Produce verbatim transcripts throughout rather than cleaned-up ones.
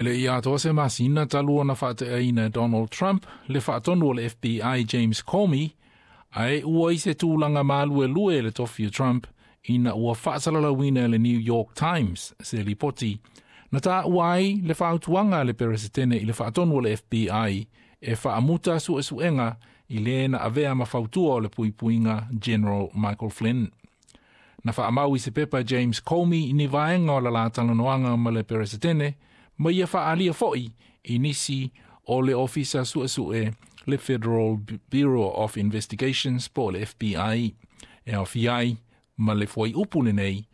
Le ia toa se masina talu ona faateaina e Donald Trump le faatonu o le F B I James Comey, ae ua i se tulaga maluelue le tofi o Trump ina ua faasalalauina e le New York Times se lipoti na taua ai le fautuaga a le Peresetene i le faatonu o le F B I e faamuta suesuega i le na avea ma fautua o le puipuiga General Michael Flynn. Na faamau i se pepa James Comey ni vaega o la la talanoaga ma le Peresetene, ma ia faalia foi i nisi o le ofisa suesue le Federal Bureau of Investigations po le F B I. E aofia ai ma le fuaiupu lenei,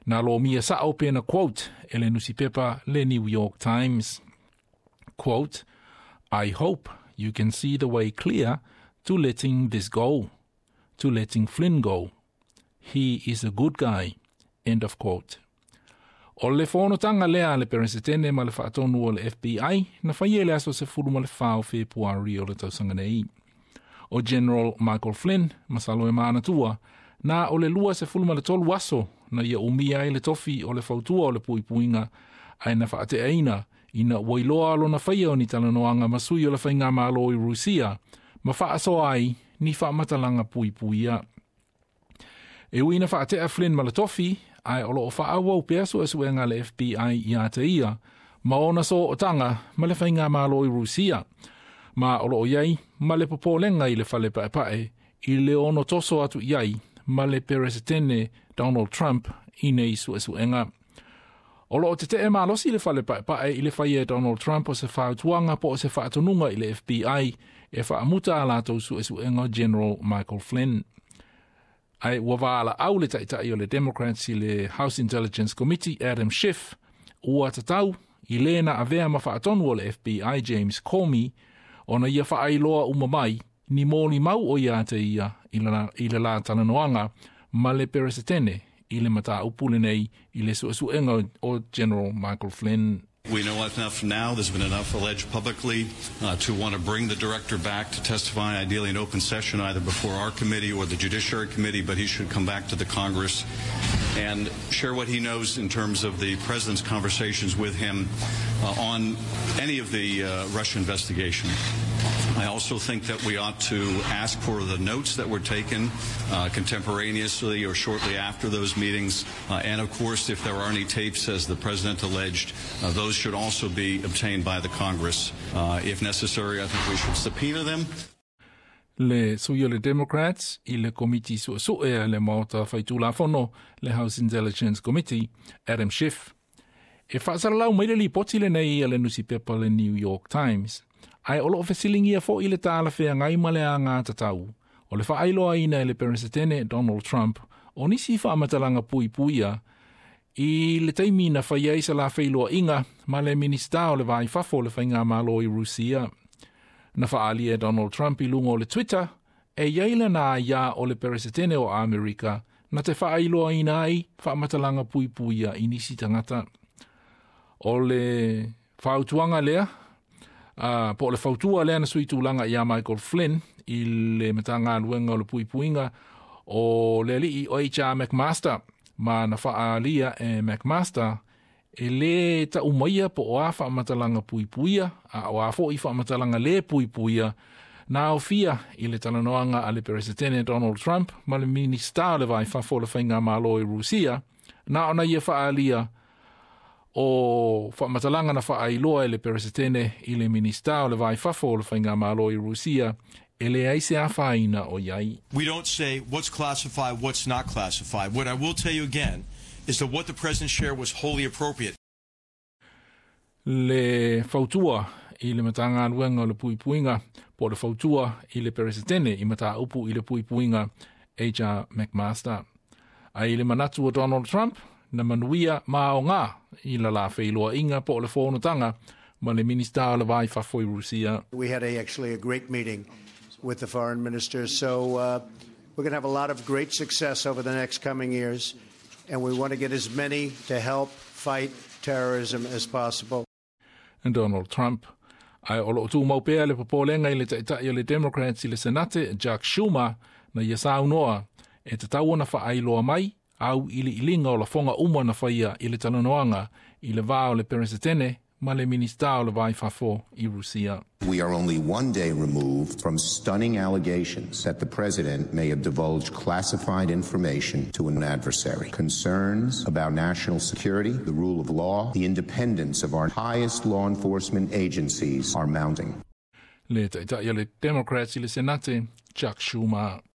na lomia sao pena quote e le nusipepa le New York Times. Quote, "I hope you can see the way clear to letting this go, to letting Flynn go. He is a good guy." End of quote. O le fonotaga lea a le Peresetene ma le faatonu o le F B I na faia i le aso sefulu ma le fa o Fepuari o le tausaga nei. O General Michael Flynn, masalo e maanatua, na o le lua sefulu ma le tolu aso na ia umia ai le tofi o le fautua o le puipuiga ae na faateaina ina ua iloa lona faia o ni talanoaga ma sui o le faigamalo i Rusia ma faasoa ai ni faamatalaga puipuia. E ui na faatea Flynn ma le tofi, ae o loo faaauau pea suesuega a le F B I ia te ia, ma ona sootaga ma le faigamalo i Rusia, ma o loo iai ma le popolega i le fale paepae i le ono toso atu iai ma le Peresetene Donald Trump i nei suesuega. O loo tetee malosi le fale paepae i le faia e Donald Trump o se fautuaga po o se faatonuga i le F B I e faamuta a latou suesuega General Michael Flynn. Ae ua valaau le taitai o le Democrats i le House Intelligence Committee Adam Schiff ua tatau i le na avea ma faatonu o le F B I James Comey ona ia faailoa uma mai ni moli mau o ia te ia i la, i le la talanoaga ma le Peresetene i le mataupu lenei i le suesuega o General Michael Flynn. We know enough now, there's been enough alleged publicly uh, to want to bring the director back to testify, ideally in open session, either before our committee or the Judiciary Committee, but he should come back to the Congress and share what he knows in terms of the president's conversations with him uh, on any of the uh, Russia investigation. I also think that we ought to ask for the notes that were taken uh, contemporaneously or shortly after those meetings. Uh, and, of course, if there are any tapes, as the president alleged, uh, those should also be obtained by the Congress. Uh, if necessary, I think we should subpoena them. Le sui o le Democrats i le komiti suesue a le Maota Faitulafono, le House Intelligence Committee, Adam Schiff. E faasalalau mai le lipoti lenei a le nusipepa le New York Times. Ae o loo fesilingia foi le talafeagai ma le agatatau o le faailoaina e le Peresetene Donald Trump o nisi faamatalaga puipuia i le taimi na faia ai se la feiloaiga ma le Minista o le Vaifafo o le faigamalo i Rusia. Na faalia e Donald Trump i luga o le Twitter e iai lana aiā o le Peresetene o Amerika na te faailoaina ai faamatalaga puipuia i nisi tagata. O le fautuaga lea, Uh, po o le fautua lea na sui tulaga ia Michael Flynn i le Matagaluega o le Puipuiga o le alii o H R McMaster, ma na faalia e McMaster e le taumaia po o a faamatalaga puipuia a o a foi faamatalaga le puipuia na aofia i le talanoaga a le Peresetene Donald Trump ma le Minista o le Vaifafo o le Faigamalo i Rusia, na ona ia faalia o faamatalaga na faailoa e le Peresetene i le Minista o le Vaifafo o le Faigamalo i Rusia e leai se afaina o iai. We don't say what's classified, what's not classified. What I will tell you again is that what the president shared was wholly appropriate. Le fautua i le Matagaluega o le Puipuiga po o le fautua i le Peresetene i mataupu i le puipuiga H R McMaster. Ai le manatu o Donald Trump na manuia maoga i la la feiloaiga po o le fonotaga ma le Minista o le Vaifafo i Rusia. We had a, actually a great meeting with the foreign minister, so uh, we're gonna have a lot of great success over the next coming years, and we want to get as many to help fight terrorism as possible. And Donald Trump. Ai o loo tumau pea le popolega i le taitai o le Democrats i le Senate, Chuck Schumer, na ia saunoa e tatau ona faailoa mai au iliiliga o lafoga uma na faia i le talanoaga i le va o le Peresetene Ma le Minista o le Va i Fafo I Rusia. We are only one day removed from stunning allegations that the president may have divulged classified information to an adversary. Concerns about national security, the rule of law, the independence of our highest law enforcement agencies are mounting. Le Taitai o le Democrats i le Senate, Chuck Schumer.